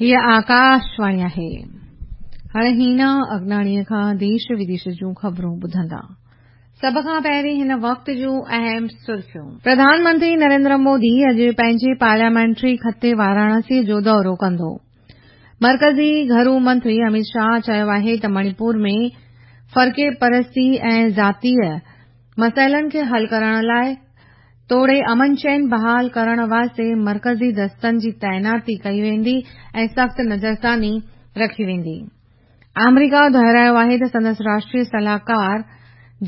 هيء آڪاشواڻي آهي. هاڻي هينا اگناڻيء کان ديش وديش جون خبرون ٻڌندا. سڀ کان پهرين هن وقت جون اهم سرخيون. پرڌان منتري نريندر مودي اڄ پنهنجي پارليامينٽري خطي واراڻسي جو دورو ڪندو. مرڪزي گهرو منتري اميت شاهه چيو آهي ته مڻيپور ۾ فرقي پرستي ۽ ذاتي مسئلن کي حل ڪرڻ لاء توڙي امن چين بحال ڪرڻ واسطي مرڪزي دستن جي تعيناتي ڪئي ويندي ۽ سخت نظرثاني رکي ويندي. آمريڪا دهرايو آهي ته سندس راشٽري صلاحڪار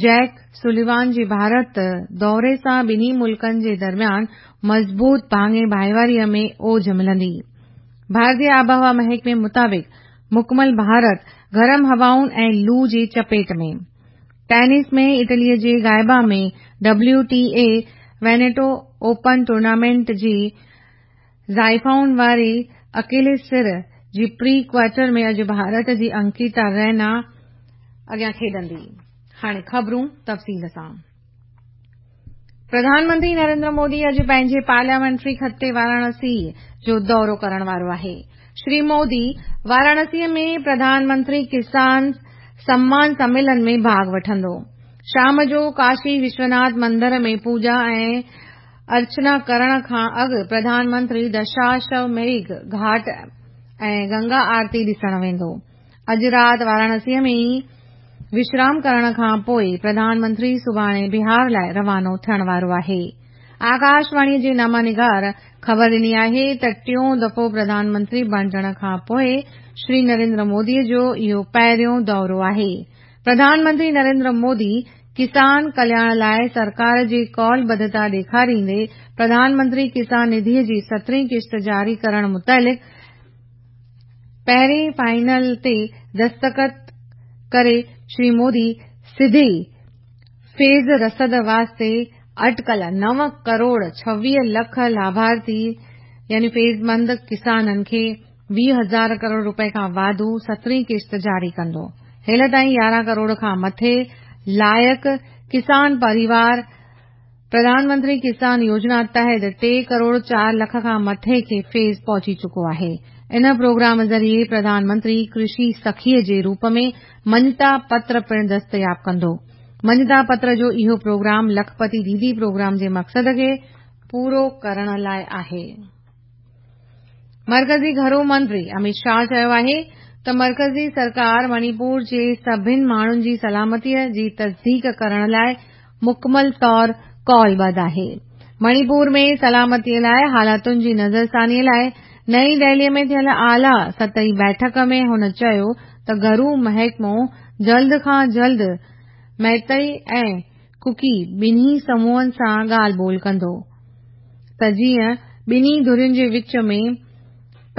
جيڪ سوليوان جي ڀارت دوري سان ٻنهي ملڪن جي درميان مضبوط ڀاڱي ڀائيواري ۾ اوج ملندي. ڀارتي آبهوا محڪمي مطابق مڪمل ڀارت گرم هوائن ۽ لو جي چپيٽ ۾. ٽينس ۾ اٽلي جي گائبا ۾ W T A Veneto open tournament جي زائفائن واري اڪيلي سر جي پري ڪوارٽر ۾ اڄ ڀارت جي انڪيتا رينا اڳيان کيڏندي. هاڻي خبرون تفصيل سان. پرڌان منتري نريندر مودي اڄ پنهنجي پارليامينٽري خطي واراڻسي جو دورو ڪرڻ وارو آهي. شري مودي واراڻسي ۾ پرڌان منتري ڪسان سمان سميلن ۾ ڀاڳ وٺندو. شام جو ڪاشي وشوناٿ مندر ۾ پوڄا ۽ ارچنا ڪرڻ کان اڳ پرڌان منتري دشاشوميگھ گهاٽ ۽ گنگا آرتي ڏسڻ ويندو. اڄ رات واراڻسي ۾ ئي وشرام ڪرڻ کان پوء پرڌان منتري سڀاڻي بهار لاء روانو ٿيڻ وارو آهي. آڪاشواڻي جي نامه نگار خبر ڏني آهي ته ٽيون دفعو پرڌان منتري بڻجڻ کان پوء شري نريندر مودي جو اهو پهريون دورو آهي. پرڌان منتري نريندر مودي ڪسان ڪلياڻ لاء سرڪار جي قول ٻڌتا ڏيکاريندي پرڌان منتري ڪسان نڌي جي سترهين قسط جاري ڪرڻ متعلق پهرين فائنل تي دستخط ڪري شري مودي سڌي فيض رسد واسطي اٽڪل 9 ڪروڙ 26 لک لاڀارٿي يعني فيضمند ڪسانن کي 20 هزار ڪروڙ روپئي کان واڌو سترهين قسط جاري ڪندو. هيل تائين 11 ڪروڙ کان مٿي لائق ڪسان پريوار پرڌان منتري ڪسان يوجنا تحت 3 ڪروڙ 4 لک کان مٿي کي فيض پهچي چڪو آهي. ان پروگرام ذريعي پرڌان منتري ڪرشي سکي جي روپ ۾ مڃتا پتر پڻ دستياب ڪندو. مڃتا پتر جو اهو پروگرام لکپتي ديدي پروگرام جي مقصد کي پورو ڪرڻ لاء آهي. مرڪزي گهرو منتري اميت شاهه چيو آهي ته مرڪزي سرڪار مڻيپور جي سڀن ماڻهن جي سلامتي جي تصديق ڪرڻ لاء مڪمل طور قولبڌ آهي. مڻيپور ۾ سلامتي لاء حالتن جي نظرثاني لاء نئين دهلي ۾ ٿيل اعليٰ سطحي بيٺڪ ۾ هن چيو ته گهرو محڪمو جلد کان جلد ميتئي ۽ ڪوڪي ٻنهي سموهن سان ڳالهه ٻولهه ڪندو ته جيئن ٻنهي ڌرين جي وچ ۾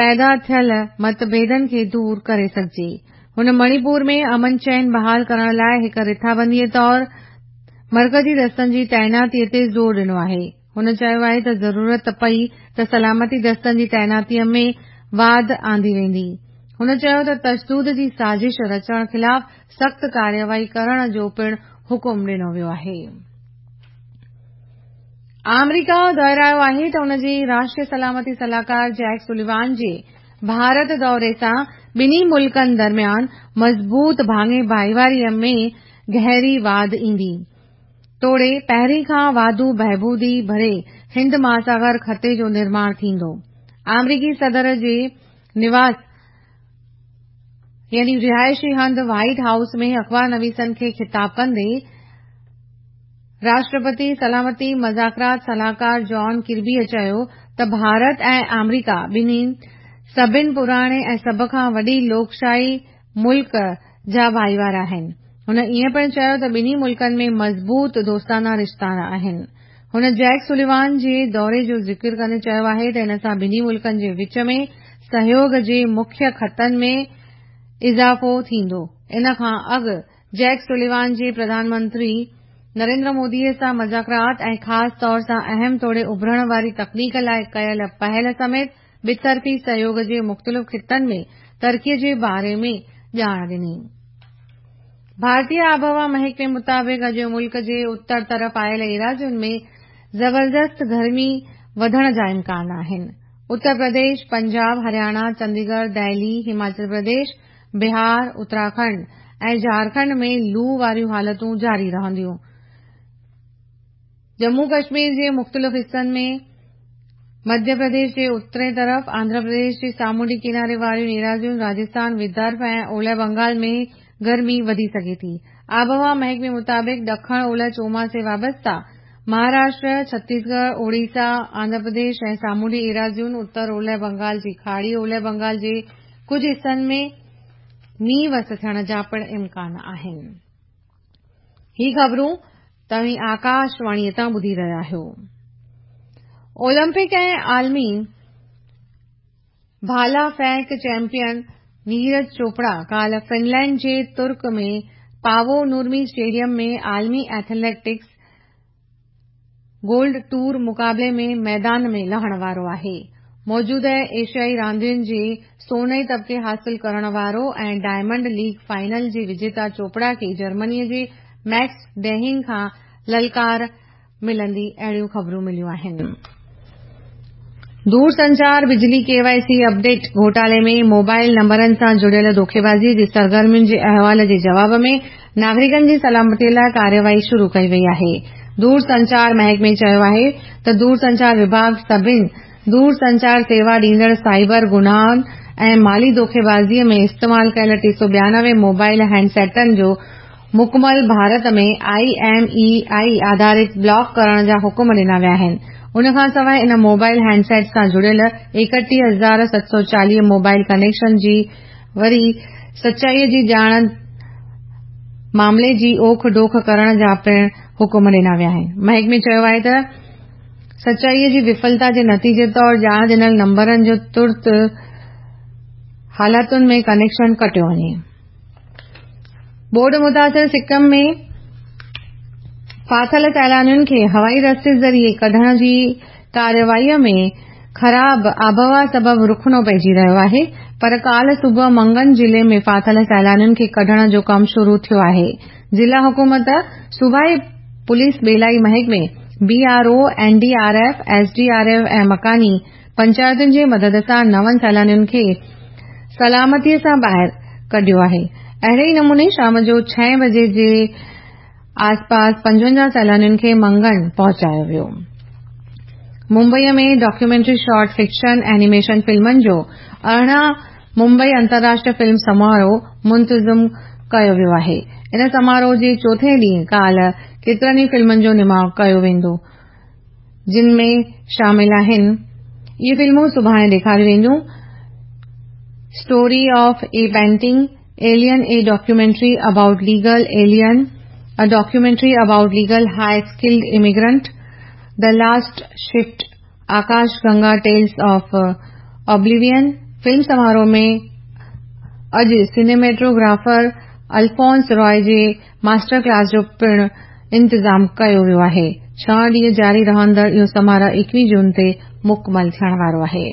پيدا ٿيل متڀيدن کي دور ڪري سگهجي. هن مڻيپور ۾ امن چين بحال ڪرڻ لاء هڪ رٿابندي طور مرڪزي دستن جي تعيناتي تي زور ڏنو آهي. هن چيو آهي ته ضرورت پئي ته سلامتي دستن جي تعيناتي ۾ واڌ آندي ويندي. هن چيو ته تشدد جي سازش رچڻ خلاف سخت ڪارروائي ڪرڻ جو پڻ حڪم ڏنو ويو آهي. آمريڪا دهرايو آهي ته ان جي راشٽري سلامتي صلاحڪار جيڪ سوليوان جي ڀارت دوري سان ٻنهي ملڪن درميان مضبوط ڀاڱي ڀائيواري ۾ گهري واڌ ايندي توڙي پهرين کان واڌو بهبودي ڀري هند مهاساگر خطي جو نرماڻ ٿيندو. آمريڪي صدر جي نواس يعني رهائشي هنڌ وائيٽ هائوس ۾ اخبار نويسن کي خطاب ڪندي راشٽرپتي سلامتي مذاڪرات صلاحڪار جان ڪربيء چيو ته ڀارت ۽ آمريڪا ٻنهي سڀن پراڻي ۽ سڀ کان وڏي لوڪشاهي ملڪ جا ڀائيوار آهن. هن ائين پڻ چيو ته ٻنهي ملڪن ۾ مضبوط دوستانه رشتا آهن. هن جيڪ سوليوان جي دوري جو ذڪر ڪندي چيو آهي ته ان سان ٻنهي ملڪن جي وچ ۾ سهيوڳ جي مکيه خطن ۾ اضافو ٿيندو. ان کان اڳ جيڪ سوليوان جي پرڌان منتري نريندر مودي سان مذاڪرات ۽ خاص طور سان اهم توڙي اڀرڻ واري تڪنيڪ لاء ڪيل پهل سميت ٻطرفي سهيوڳ جي مختلف خطن ۾ ترقي جي باري ۾ ڄاڻ ڏني. ڀارتي آبهوا محڪمي مطابق اڄ ملڪ جي اتر طرف آيل ايراضين ۾ زبردست گرمي وڌڻ جا امڪان آهن. اتر پرديش، پنجاب، هرياڻا، چنديڳڙهه، دهلي، هماچل پرديش، بهار، اتراکنڊ ۽ جهارکنڊ ۾ لو واريون حالتون جاري رهنديون. ڄمون ڪشمير جي مختلف حصن ۾، مڌيه پرديش جي اترئين طرف، آنڌرا پرديش جي سامونڊي ڪناري واريون ايراضيون، راجسٿان، ودرڀ ۽ اولهه بنگال ۾ گرمي وڌي سگهي ٿي. آبهوا محڪمي مطابق ڏکڻ اولهه چوماسي وابسته مهاراشٽر، ڇتيسڳڙهه، اوڙيسا، آنڌرا پرديش ۽ سامونڊي ايراضين، اتر اولهه بنگال جي کاڙي اولهه بنگال جي ڪجهه حصن ۾ مينهن وس ٿيڻ جا پڻ امڪان آهن. هي خبرون توهين آڪاشواڻيء تان ٻڌي رهيا آهيو. اولمپڪ ۽ عالمي ڀالا ڦينڪ چيمپيئن نيرج چوپڙا ڪالهه فنلينڊ جي ترڪ ۾ پاوو نورمي اسٽيڊيم ۾ عالمي ايٿليٽڪس گولڊ ٽور مقابلي ۾ ميدان ۾ لهڻ وارو آهي. موجوده ايشيائي راندين جي سوني تمغي حاصل ڪرڻ وارو ۽ ڊائمنڊ ليگ فائنل جي وجيتا چوپڙا کي جرمني جي ميڪس ڊيهنگ کان للڪار ملندي اهڙيون خبرون مليون آهن. دورسنچار بجلي ڪي وائي سي اپڊيٽ گهوٽالي ۾ موبائل نمبرن سان جڙيل دوکيبازي جي سرگرمين جي احوال جي جواب ۾ ناگرڪن جي سلامتي لاء ڪارروائي شروع ڪئي وئي آهي. دورسنچار محڪمي چيو آهي ته دورسنچار وڀاڳ سڀني دورسنچار سيوا ڏيندڙ سائبر گناهن ۽ مالي دوکيبازي ۾ استعمال ڪيل 392 موبائل هينڊ سيٽن جو مڪمل Bharat ۾ I M E I آڌارت بلاڪ ڪرڻ جا حڪم ڏنا ويا آهن. ان کانسواء ان موبائل هينڊ سيٽ سان جڙيل 31740 موبائل ڪنيڪشن جي وري سچائي جي ڄاڻ معاملي جي اوک ڊوک ڪرڻ جا پڻ حڪم ڏنا ويا آهن. محڪمي چيو آهي ته سچائي جي وفلتا جي نتيجي طور ڄاڻ ڏنل نمبرن جو ترت حالتن ۾ ڪنيڪشن ڪٽيو وڃي. ٻوڏ متاثر سڪم ۾ ڦاٿل سيلانين کي هوائي رستي ذريعي ڪڍڻ جي ڪارروائي ۾ خراب آبهوا سبب رخنو پئجي رهيو آهي پر ڪالهه صبح منگن ضلعي ۾ ڦاٿل سيلانين کي ڪڍڻ جو ڪم شروع ٿيو آهي. ضلع حڪومت، صوبائي پوليس ٻيلائي محڪمي، B R O, N D R F, S D R F ۽ مڪاني پنچائتن جي مدد سان نون سيلانين کي سلامتي سان ٻاهر ڪڍيو آهي. اهڙي ئي نموني شام جو ڇهين بجي جي آسپاس 55 سيلانين کي منگن پهچايو ويو. Mumbai ۾ documentary short fiction animation فلمن جو 18 ممبئي انترراشٽريه فلم سماروهه منتظم ڪيو ويو آهي. ان سماروهه جي چوٿين ڏينهن ڪالهه ڪيترن ئي فلمن جو نماء ڪيو ويندو. جن ۾ شامل آهن. اهي فلمون سڀاڻي ڏيکاريون وينديون. Story of a painting, alien a documentary about legal alien, a documentary about legal high skilled immigrant, the last shift, Akash Ganga tales of oblivion. Film سماروهه ۾ اڄ سئنيميٽوگرافر الفونس راء جي ماسٽر ڪلاس جو پڻ انتظام ڪيو ويو آهي. ڇهه ڏينهن جاري رهندڙ اهو سماروهه 21 جون تي مڪمل ٿيڻ وارو آهي.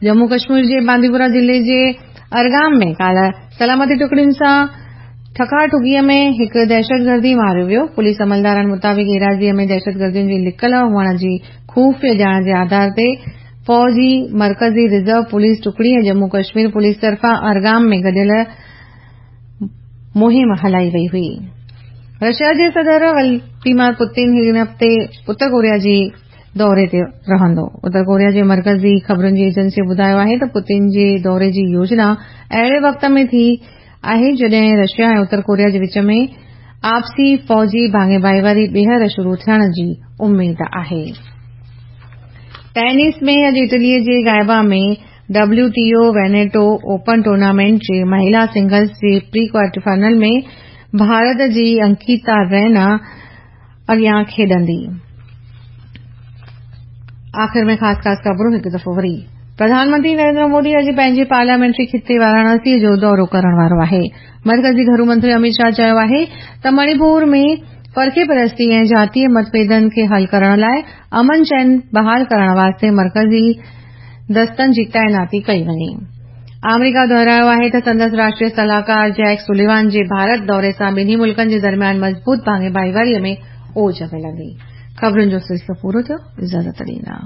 ڄمون ڪشمير جي بانديپورا ضلعي جي ارگام ۾ ڪالهه سلامتي ٽڪڙين سان ٺڪا ٺڪيء ۾ هڪ دهشتگردي ماريو ويو. پوليس عملدارن مطابق ايراضيء ۾ دهشتگردين جي لڪل هئڻ جي خفيه ڄاڻ جي آڌار تي فوجي مرڪزي رزرو پوليس ٽڪڙي ۽ ڄمون ڪشمير پوليس طرفان ارگام ۾ گڏيل مهم هلائي وئي هئي. رشيا جي صدر ولديمير پوتين هن هفتي اتر ڪوريا جي دوري تي رهندو. اتر ڪوريا جي مرڪزي خبرن جي ايجنسي ٻڌايو آهي ته پوتين جي دوري جي يوجنا اهڙي وقت ۾ ٿي آهي جڏهن رشيا ۽ اتر ڪوريا جي وچ ۾ آپسي فوجي ڀاڱي ڀائيواري ٻيهر شروع ٿيڻ جي اميد آهي. ٽينس ۾ اڄ اٽلي جي گائبا ۾ W T O Veneto open tournament جي مهيلا سنگلز جي پري ڪوارٽر فائنل ۾ ڀارت جي انڪيتا رينا اڳيان کيڏندي. آخر ۾ خاص خاص خبرون هڪ دفعو وري. پرڌان منتري نريندر مودي اڄ پنهنجي پارليامينٽري خطي واراڻاسي جو دورو ڪرڻ وارو آهي. مرڪزي گهرو منتري اميت شاهه چيو آهي ته مڻيپور ۾ فرقي پرستي ۽ جاتي متڀيدن کي حل ڪرڻ لاء امن چين بحال ڪرڻ واسطي مرڪزي دستن جي تعيناتي ڪئي وڃي. آمريڪا دهرايو آهي ته سندس راشٽريه صلاحڪار جيڪ سوليوان جي ڀارت دوري سان ٻنهي ملڪن جي درميان مضبوط ڀاڱي ڀائيواري ۾ اوج ملندي. خبرن جو سلسلو پورو ٿيو. اجازت ڏيندا.